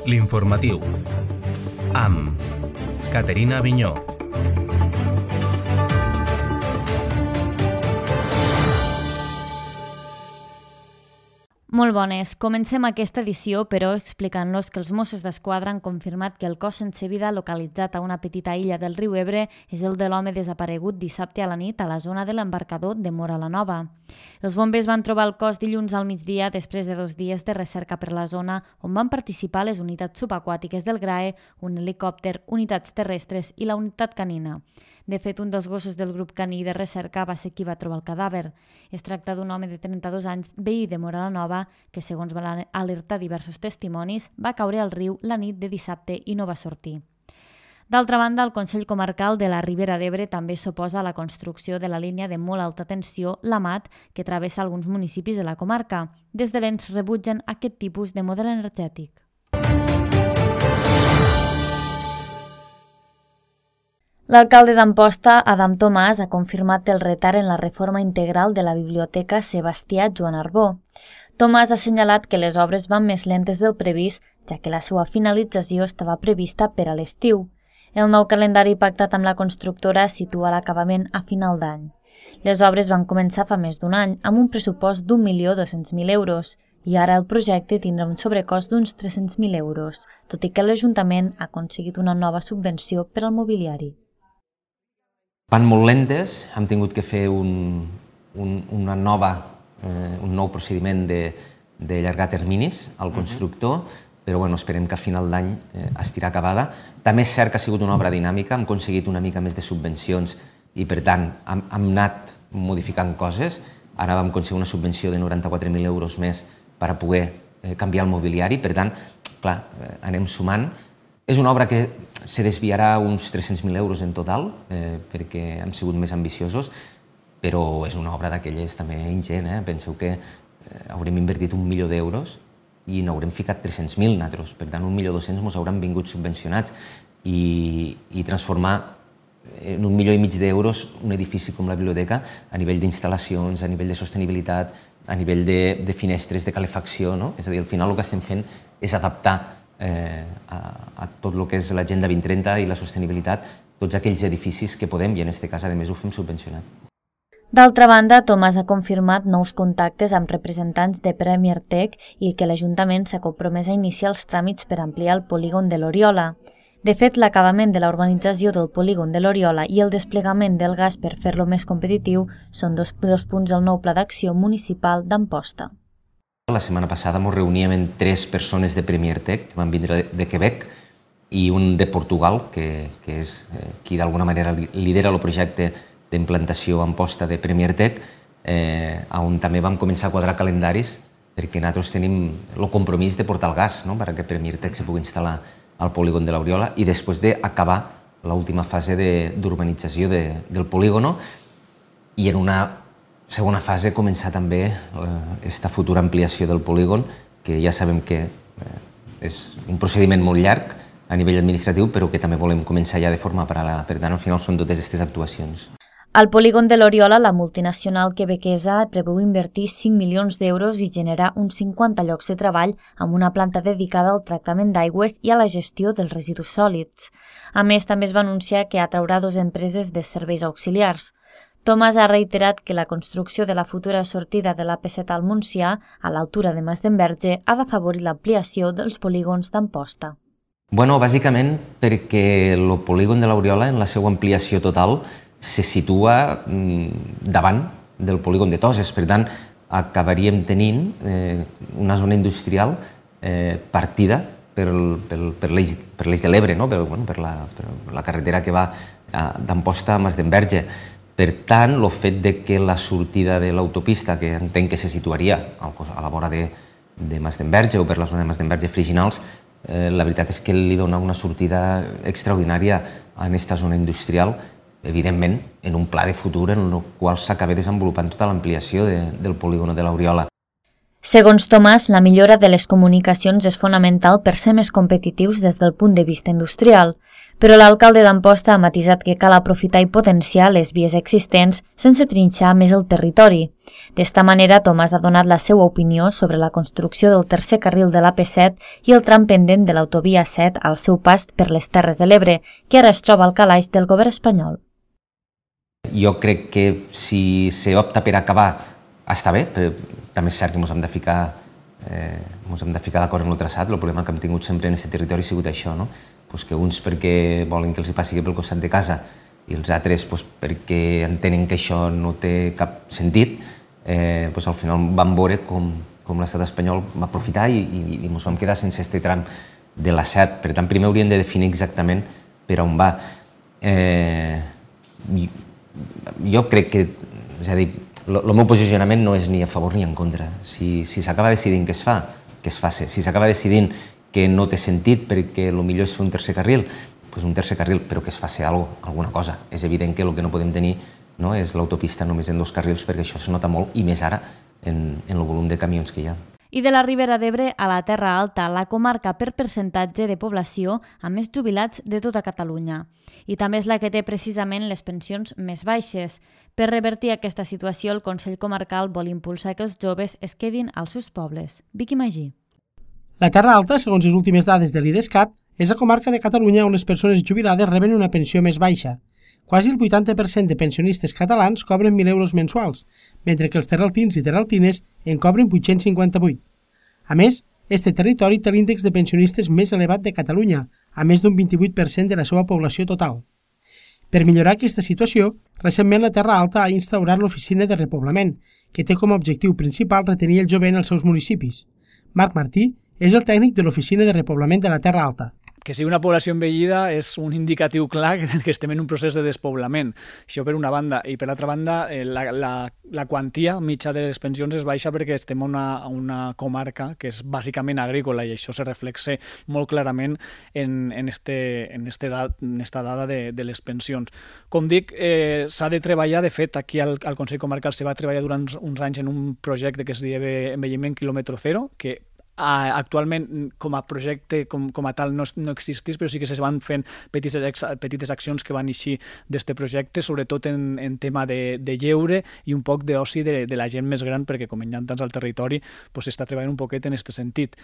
L'informatiu, amb Caterina Avinyó. Molt bones. Comencem aquesta edició, però, explicant-los que els Mossos d'Esquadra han confirmat que el cos sense vida localitzat a una petita illa del riu Ebre és el de l'home desaparegut dissabte a la nit a la zona de l'embarcador de Móra la Nova. Els bombers van trobar el cos dilluns al migdia després de 2 dies de recerca per la zona on van participar les unitats subaquàtiques del GRAE, un helicòpter, unitats terrestres i la unitat canina. De fet, un dels gossos del grup caní de recerca va ser qui va trobar el cadàver. Es tracta d'un home de 32 anys, veí de Móra la Nova, que, segons van alertar diversos testimonis, va caure al riu la nit de dissabte i no va sortir. D'altra banda, el Consell Comarcal de la Ribera d'Ebre també s'oposa a la construcció de la línia de molt alta tensió, la MAT, que travessa alguns municipis de la comarca. Des de l'ENS rebutgen aquest tipus de model energètic. L'alcalde d'Amposta, Adam Tomàs, ha confirmat el retard en la reforma integral de la Biblioteca Sebastià Joan Arbó. Tomàs ha assenyalat que les obres van més lentes del previst, ja que la seva finalització estava prevista per a l'estiu. El nou calendari pactat amb la constructora situa l'acabament a final d'any. Les obres van començar fa més d'un any, amb un pressupost d'1.200.000 euros, i ara el projecte tindrà un sobrecost d'uns 300.000 euros, tot i que l'Ajuntament ha aconseguit una nova subvenció per al mobiliari. Van molt lentes, hem tingut que fer un nou procediment d'allargar terminis al constructor, però esperem que a final d'any estirà acabada. També és cert que ha sigut una obra dinàmica, hem aconseguit una mica més de subvencions i, per tant, hem anat modificant coses. Ara vam aconseguir una subvenció de 94.000 euros més per a poder canviar el mobiliari, per tant, clar, anem sumant. És una obra que se desviarà uns 300.000 euros en total, perquè hem sigut més ambiciosos, però és una obra d'aquelles també ingent. Penseu que haurem invertit 1 milió d'euros i n'haurem ficat 300.000 nosaltres. Per tant, 1.200.000 ens hauran vingut subvencionats i transformar en 1,5 milió d'euros un edifici com la biblioteca a nivell d'instal·lacions, a nivell de sostenibilitat, a nivell de finestres, de calefacció. És a dir, al final el que estem fent és adaptar a tot el que és l'Agenda 2030 i la sostenibilitat, tots aquells edificis que podem, i en aquest cas, a més, ho fem subvencionat. D'altra banda, Tomàs ha confirmat nous contactes amb representants de Premier Tech i que l'Ajuntament s'ha compromès a iniciar els tràmits per ampliar el polígon de l'Oriola. De fet, l'acabament de la urbanització del polígon de l'Oriola i el desplegament del gas per fer-lo més competitiu són dos punts del nou Pla d'Acció Municipal d'Amposta. La setmana passada ens reuníem amb 3 persones de Premier Tech que van vindre de Quebec i un de Portugal, que és qui d'alguna manera lidera el projecte d'implantació a Amposta de Premier Tech, on també vam començar a quadrar calendaris perquè nosaltres tenim el compromís de portar el gas perquè Premier Tech se pugui instal·lar al polígon de l'Oriola i després d'acabar l'última fase d'urbanització del polígon i en una segona fase començar també aquesta futura ampliació del polígon, que ja sabem que és un procediment molt llarg a nivell administratiu, però que també volem començar ja de forma paral·lela. Per tant, al final són totes aquestes actuacions. Al polígon de l'Oriola, la multinacional quebequesa preveu invertir 5 milions d'euros i generar uns 50 llocs de treball amb una planta dedicada al tractament d'aigües i a la gestió dels residus sòlids. A més, també es va anunciar que atraurà 2 empreses de serveis auxiliars. Tomàs ha reiterat que la construcció de la futura sortida de l'AP7 al Montsià, a l'altura de Masdenverge, ha d'afavorir l'ampliació dels polígons d'Amposta. Bàsicament perquè el polígon de l'Oriola, en la seva ampliació total, se situa davant del polígon de Toses. Per tant, acabaríem tenint una zona industrial partida per l'eix de l'Ebre, per la carretera que va d'Amposta a Masdenverge. Per tant, el fet que la sortida de l'autopista, que entenc que se situaria a la vora de Masdenverge o per la zona de Masdenverge-Friginals, la veritat és que li dona una sortida extraordinària a aquesta zona industrial, evidentment, en un pla de futur en el qual s'acaba desenvolupant tota l'ampliació del polígon de l'Oriola. Segons Tomàs, la millora de les comunicacions és fonamental per ser més competitius des del punt de vista industrial. Però l'alcalde d'Amposta ha matisat que cal aprofitar i potenciar les vies existents sense trinxar més el territori. D'esta manera, Tomàs ha donat la seva opinió sobre la construcció del tercer carril de l'AP7 i el tram pendent de l'autovia 7 al seu pas per les Terres de l'Ebre, que ara es troba al calaix del govern espanyol. Jo crec que si s'opta per acabar està bé, però també és cert que ens hem de ficar d'acord en el traçat. El problema que hem tingut sempre en aquest territori ha sigut això, no? Que uns perquè volen que els hi passi pel costat de casa i els altres perquè entenen que això no té cap sentit, al final vam veure com l'estat espanyol va aprofitar i ens vam quedar sense aquest tram de la 7. Per tant, primer hauríem de definir exactament per on va. Jo crec que, és a dir, el meu posicionament no és ni a favor ni en contra. Si s'acaba decidint que es fa, que es faci. Si s'acaba decidint que no té sentit perquè el millor és fer un tercer carril, doncs un tercer carril, però que es faci alguna cosa. És evident que el que no podem tenir és l'autopista només en 2 carrils, perquè això es nota molt, i més ara, en el volum de camions que hi ha. I de la Ribera d'Ebre a la Terra Alta, la comarca per percentatge de població amb més jubilats de tota Catalunya. I també és la que té precisament les pensions més baixes. Per revertir aquesta situació, el Consell Comarcal vol impulsar que els joves es quedin als seus pobles. Vicky Magí. La Terra Alta, segons les últimes dades de l'IDESCAT, és la comarca de Catalunya on les persones jubilades reben una pensió més baixa. Quasi el 80% de pensionistes catalans cobren 1.000 euros mensuals, mentre que els terraltins i terraltines en cobren 858. A més, este territori té l'índex de pensionistes més elevat de Catalunya, a més d'un 28% de la seva població total. Per millorar aquesta situació, recentment la Terra Alta ha instaurat l'Oficina de Repoblament, que té com a objectiu principal retenir el jovent als seus municipis. Marc Martí és el tècnic de l'Oficina de Repoblament de la Terra Alta. Que sigui una població envellida és un indicatiu clar que estem en un procés de despoblament. Això per una banda. I per l'altra banda, la quantia mitja de les pensions és baixa perquè estem en una comarca que és bàsicament agrícola i això se reflexa molt clarament en esta dada de les pensions. Com dic, s'ha de treballar, de fet, aquí al Consell Comarcal se va treballar durant uns anys en un projecte que es diu Envelliment quilòmetre zero, que actualment com a projecte com a tal no existís, però sí que es van fent petites accions que van eixir d'aquest projecte, sobretot en tema de lleure i un poc d'oci de la gent més gran, perquè com hi ha tants al territori s'està treballant un poquet en aquest sentit.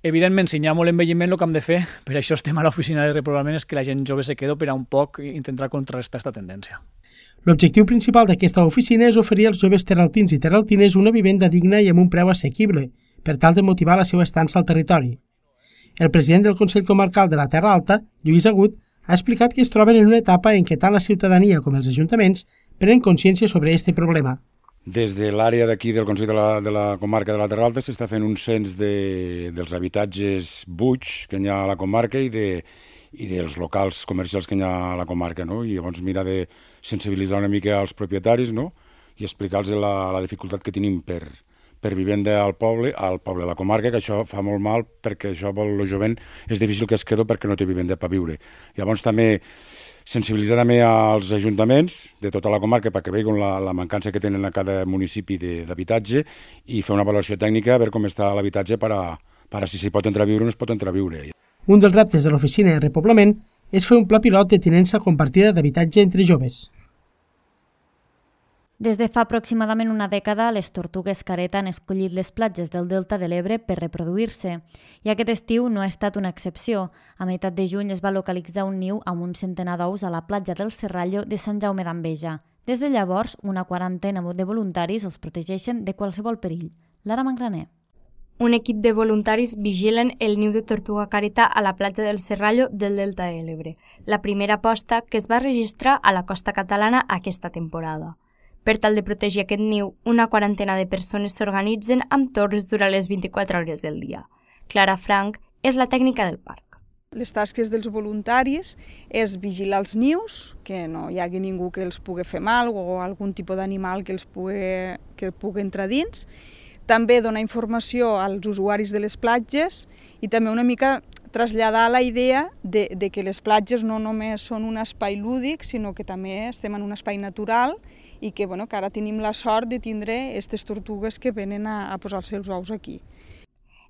Evidentment, si hi ha molt envelliment, el que hem de fer, per això estem a l'oficina de repoblament, és que la gent jove se quedi per a un poc intentar contrarrestar aquesta tendència. L'objectiu principal d'aquesta oficina és oferir als joves terraltins i terraltines una vivenda digna i amb un preu assequible, per tal de motivar la seva estança al territori. El president del Consell Comarcal de la Terra Alta, Lluís Agut, ha explicat que es troben en una etapa en què tant la ciutadania com els ajuntaments prenen consciència sobre aquest problema. Des de l'àrea d'aquí del Consell de la Comarca de la Terra Alta s'està fent un cens dels habitatges buits que hi ha a la comarca i dels locals comercials que hi ha a la comarca, no? I llavors mirar de sensibilitzar una mica als propietaris, no? I explicar-los la dificultat que tenim per vivenda al poble, a la comarca, que això fa molt mal perquè això pel jovent és difícil que es quedi perquè no té vivenda per viure. Llavors també sensibilitzar també als ajuntaments de tota la comarca perquè veuen la mancança que tenen a cada municipi d'habitatge i fer una avaluació tècnica a veure com està l'habitatge per a si s'hi pot entrar a viure o no es pot entrar a viure. Un dels reptes de l'Oficina de Repoblament és fer un pla pilot de tinença compartida d'habitatge entre joves. Des de fa aproximadament una dècada, les tortugues careta han escollit les platges del Delta de l'Ebre per reproduir-se. I aquest estiu no ha estat una excepció. A meitat de juny es va localitzar un niu amb un centenar d'ous a la platja del Serrallo de Sant Jaume d'Enveja. Des de llavors, una quarantena de voluntaris els protegeixen de qualsevol perill. Lara Mangraner. Un equip de voluntaris vigilen el niu de tortuga careta a la platja del Serrallo del Delta de l'Ebre, la primera posta que es va registrar a la costa catalana aquesta temporada. Per tal de protegir aquest niu, una quarantena de persones s'organitzen amb torres durant les 24 hores del dia. Clara Frank és la tècnica del parc. Les tasques dels voluntaris és vigilar els nius, que no hi hagi ningú que els pugui fer mal o algun tipus d'animal que pugui entrar dins. També donar informació als usuaris de les platges i també una mica traslladar la idea de que les platges no només són un espai lúdic, sinó que també estem en un espai natural i que ara tenim la sort de tindre aquestes tortugues que venen a posar els seus ous aquí.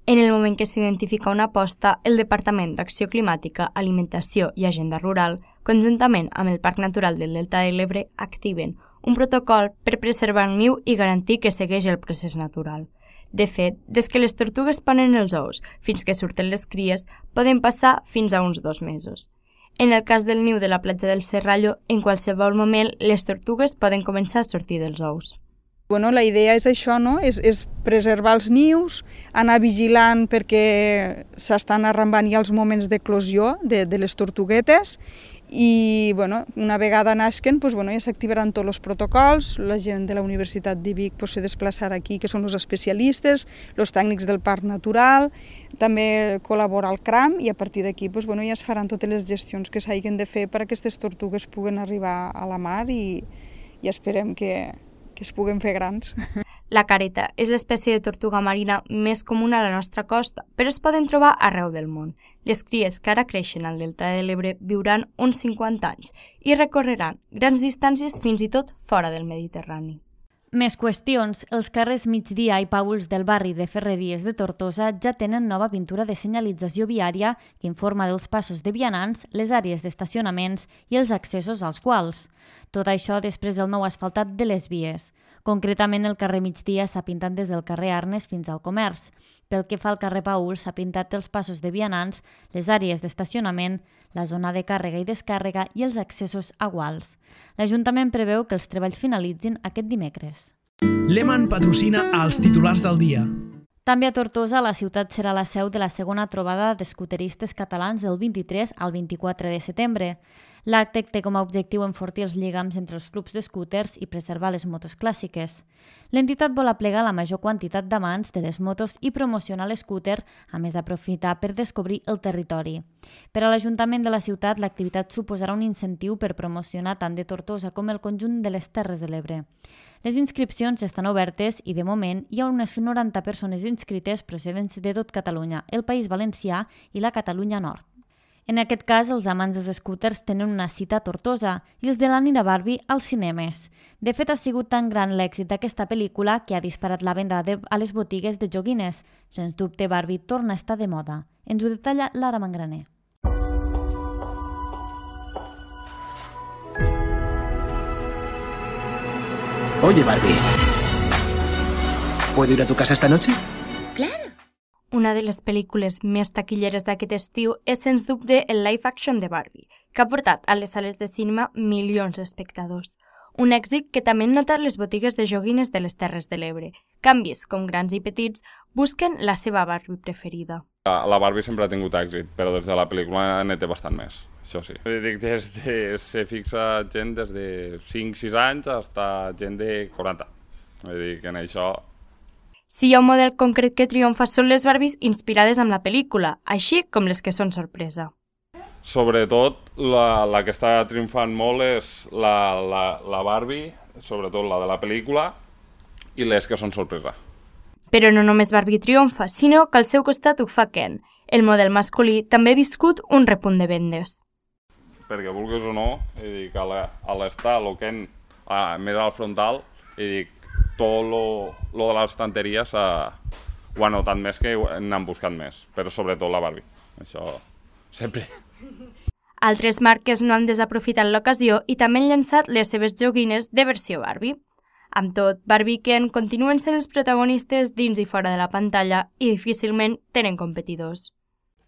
En el moment que s'identifica una aposta, el Departament d'Acció Climàtica, Alimentació i Agenda Rural, conjuntament amb el Parc Natural del Delta de l'Ebre, activen un protocol per preservar el niu i garantir que segueix el procés natural. De fet, des que les tortugues ponen els ous fins que surten les cries, poden passar fins a uns 2 mesos. En el cas del niu de la platja del Serrallo, en qualsevol moment les tortugues poden començar a sortir dels ous. La idea és això, no? És preservar els nius, anar vigilant perquè s'estan arrambant ja els moments d'eclosió de les tortuguetes i una vegada nasquen ja s'activaran tots els protocols, la gent de la Universitat de Vic se desplaçarà aquí, que són els especialistes, els tècnics del Parc Natural, també col·labora el CRAM i a partir d'aquí ja es faran totes les gestions que s'hagin de fer per a aquestes tortugues puguen arribar a la mar i esperem que es puguen fer grans. La careta és l'espècie de tortuga marina més comuna a la nostra costa, però es poden trobar arreu del món. Les cries que ara creixen al Delta de l'Ebre viuran uns 50 anys i recorreran grans distàncies fins i tot fora del Mediterrani. Més qüestions. Els carrers Migdia i Pauls del barri de Ferreries de Tortosa ja tenen nova pintura de senyalització viària que informa dels passos de vianants, les àrees d'estacionaments i els accessos als quals. Tot això després del nou asfaltat de les vies. Concretament, el carrer Migdia s'ha pintat des del carrer Arnes fins al Comerç. Pel que fa al carrer Pauls, s'ha pintat els passos de vianants, les àrees d'estacionament, la zona de càrrega i descàrrega i els accessos a guals. L'Ajuntament preveu que els treballs finalitzin aquest dimecres. Lehmann patrocina els titulars del dia. També a Tortosa, la ciutat serà la seu de la segona trobada d'escuteristes catalans del 23 al 24 de setembre. L'acte té com a objectiu enfortir els lligams entre els clubs d'escúters i preservar les motos clàssiques. L'entitat vol aplegar la major quantitat d'amants de les motos i promocionar l'escúter, a més d'aprofitar per descobrir el territori. Per a l'Ajuntament de la ciutat, l'activitat suposarà un incentiu per promocionar tant de Tortosa com el conjunt de les Terres de l'Ebre. Les inscripcions estan obertes i, de moment, hi ha unes 90 persones inscrites procedents de tot Catalunya, el País Valencià i la Catalunya Nord. En aquest cas, els amants dels escúters tenen una cita a Tortosa i els de la Nina Barbie als cinemes. De fet, ha sigut tan gran l'èxit d'aquesta pel·lícula que ha disparat la venda a les botigues de joguines. Sens dubte, Barbie torna a estar de moda. Ens ho detalla Lara Mangraner. Oye, Barbie, ¿puedo ir a tu casa esta noche? Claro. Una de les pel·lícules més taquilleres d'aquest estiu és, sens dubte, el live action de Barbie, que ha portat a les sales de cinema milions d'espectadors. Un èxit que també han notat les botigues de joguines de les Terres de l'Ebre. Canvis, com grans i petits, busquen la seva Barbie preferida. La Barbie sempre ha tingut èxit, però des de la pel·lícula ne té bastant més, això sí. Dic, se fixa gent des de 5-6 anys fins a gent de 40. Vull dir que en això... Si hi ha un model concret que triomfa són les Barbies inspirades en la pel·lícula, així com les que són sorpresa. Sobretot, la que està triomfant molt és la Barbie, sobretot la de la pel·lícula, i les que són sorpresa. Però no només Barbie triomfa, sinó que al seu costat ho fa Ken. El model masculí també ha viscut un repunt de vendes. Perquè vulguis o no, dic, a l'estar, el Ken més al frontal, i dic, tot lo de l'estanteria ho ha notat més que n'han buscat més, però sobretot la Barbie, això sempre. Altres marques no han desaprofitat l'ocasió i també han llançat les seves joguines de versió Barbie. Amb tot, Barbie i Ken continuen sent els protagonistes dins i fora de la pantalla i difícilment tenen competidors.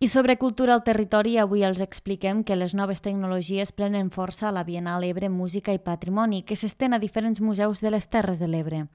I sobre cultura al territori, avui els expliquem que les noves tecnologies prenen força a la Bienal Ebre Música i Patrimoni, que s'estén a diferents museus de les Terres de l'Ebre.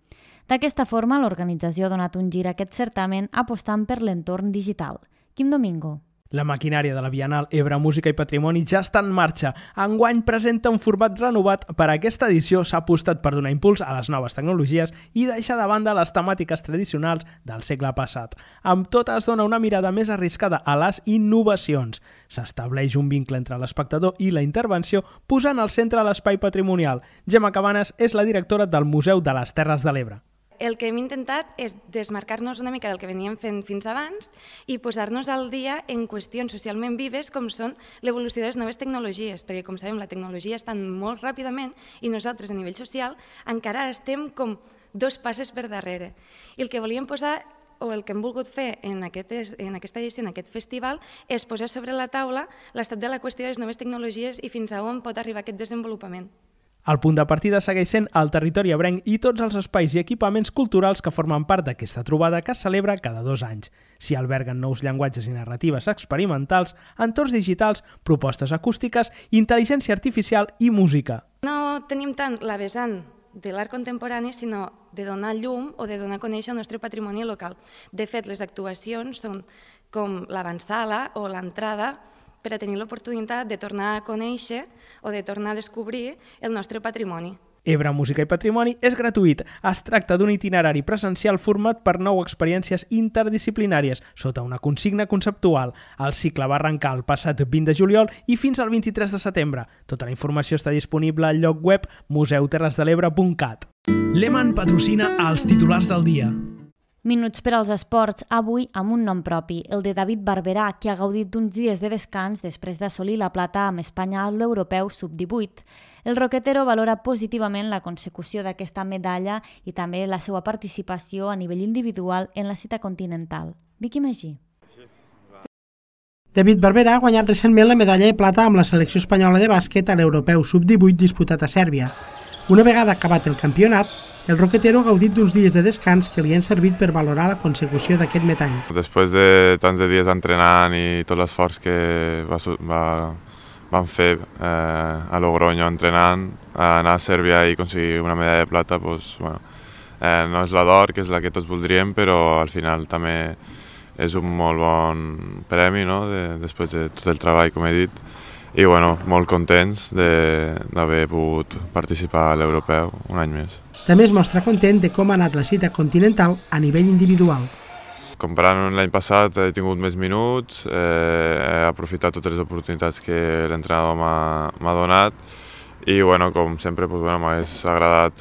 D'aquesta forma, l'organització ha donat un gir a aquest certamen apostant per l'entorn digital. Quim Domingo. La maquinària de la Bienal Ebre Música i Patrimoni ja està en marxa. Enguany presenta un format renovat. Per a aquesta edició s'ha apostat per donar impuls a les noves tecnologies i deixar de banda les temàtiques tradicionals del segle passat. Amb tot es dona una mirada més arriscada a les innovacions. S'estableix un vincle entre l'espectador i la intervenció, posant al centre l'espai patrimonial. Gemma Cabanes és la directora del Museu de les Terres de l'Ebre. El que hem intentat és desmarcar-nos una mica del que veníem fent fins abans i posar-nos al dia en qüestions socialment vives com són l'evolució de les noves tecnologies, perquè com sabem la tecnologia està molt ràpidament i nosaltres a nivell social encara estem com 2 passes per darrere. I el que volíem posar o el que hem volgut fer en aquesta edició, en aquest festival, és posar sobre la taula l'estat de la qüestió de les noves tecnologies i fins a on pot arribar aquest desenvolupament. El punt de partida segueix sent el territori ebrenc i tots els espais i equipaments culturals que formen part d'aquesta trobada que es celebra cada 2 anys. S'hi alberguen nous llenguatges i narratives experimentals, entorns digitals, propostes acústiques, intel·ligència artificial i música. No tenim tant la vessant de l'art contemporani, sinó de donar llum o de donar a conèixer el nostre patrimoni local. De fet, les actuacions són com l'avantsala o l'entrada per a tenir l'oportunitat de tornar a conèixer o de tornar a descobrir el nostre patrimoni. Ebre Música i Patrimoni és gratuït. Es tracta d'un itinerari presencial format per 9 experiències interdisciplinàries sota una consigna conceptual. El cicle va arrencar el passat 20 de juliol i fins al 23 de setembre. Tota la informació està disponible al lloc web museuterresdelebre.cat. Lehmann patrocina els titulars del dia. Minuts per als esports, avui amb un nom propi, el de David Barberà, que ha gaudit d'uns dies de descans després d'assolir la plata amb Espanya a l'Europeu Sub-18. El roquetero valora positivament la consecució d'aquesta medalla i també la seva participació a nivell individual en la cita continental. Vicky Magí. David Barberà ha guanyat recentment la medalla de plata amb la selecció espanyola de bàsquet a l'Europeu Sub-18 disputat a Sèrbia. Una vegada acabat el campionat, el roquetero ha gaudit d'uns dies de descans que li han servit per valorar la consecució d'aquest metall. Després de tants de dies entrenant i tot l'esforç que vam fer a Logroño entrenant, anar a Sèrbia i aconseguir una medalla de plata, no és la d'or, que és la que tots voldríem, però al final també és un molt bon premi, després de tot el treball, com he dit. I molt contents d'haver pogut participar a l'Europeu un any més. També es mostra content de com ha anat la cita continental a nivell individual. Comparant amb l'any passat he tingut més minuts, he aprofitat totes les oportunitats que l'entrenador m'ha donat i com sempre m'hagués agradat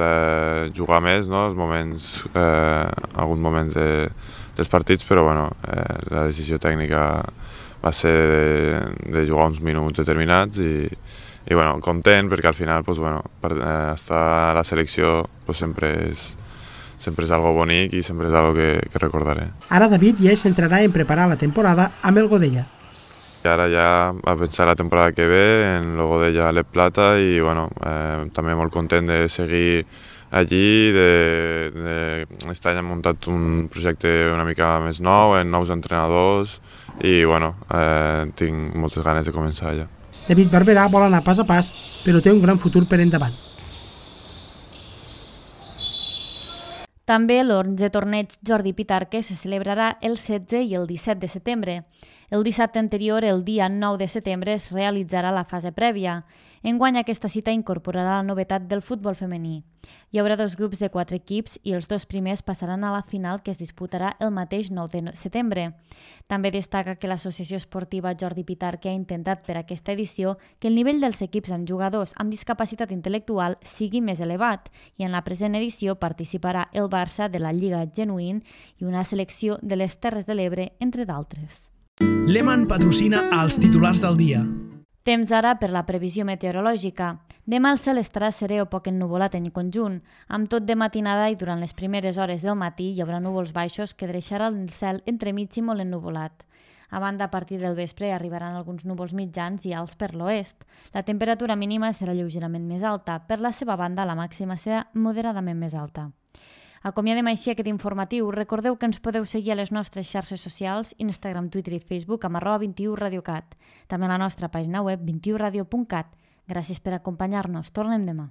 jugar més, alguns moments dels partits, però la decisió tècnica va ser de jugar uns minuts determinats i content perquè al final estar a la selecció sempre és algo bonic i sempre és algo que recordaré. Ara David ja es centrarà en preparar la temporada amb el Godella. Ara ja va pensar la temporada que ve en el Godella Lep Plata i també molt content de seguir allí, aquest any hem muntat un projecte una mica més nou, amb nous entrenadors i tinc moltes ganes de començar allà. David Barberà vol anar pas a pas, però té un gran futur per endavant. També l'11è torneig Jordi Pitarque se celebrarà el 16 i el 17 de setembre. El dissabte anterior, el dia 9 de setembre, es realitzarà la fase prèvia. Enguany aquesta cita incorporarà la novetat del futbol femení. Hi haurà 2 grups de 4 equips i els 2 primers passaran a la final que es disputarà el mateix 9 de setembre. També destaca que l'Associació Esportiva Jordi Pitarque ha intentat per aquesta edició que el nivell dels equips amb jugadors amb discapacitat intel·lectual sigui més elevat i en la present edició participarà el Barça de la Lliga Genuïn i una selecció de les Terres de l'Ebre, entre d'altres. Lehmann patrocina els titulars del dia. Temps ara per la previsió meteorològica. Demà el cel estarà serè o poc ennuvolat en conjunt. Amb tot de matinada i durant les primeres hores del matí hi haurà núvols baixos que deixaran el cel entremig i molt ennuvolat. A banda, a partir del vespre arribaran alguns núvols mitjans i alts per l'oest. La temperatura mínima serà lleugerament més alta. Per la seva banda, la màxima serà moderadament més alta. Acomiadem així aquest informatiu. Recordeu que ens podeu seguir a les nostres xarxes socials, Instagram, Twitter i Facebook amb @21radiocat. També a la nostra pàgina web 21radio.cat. Gràcies per acompanyar-nos. Tornem demà.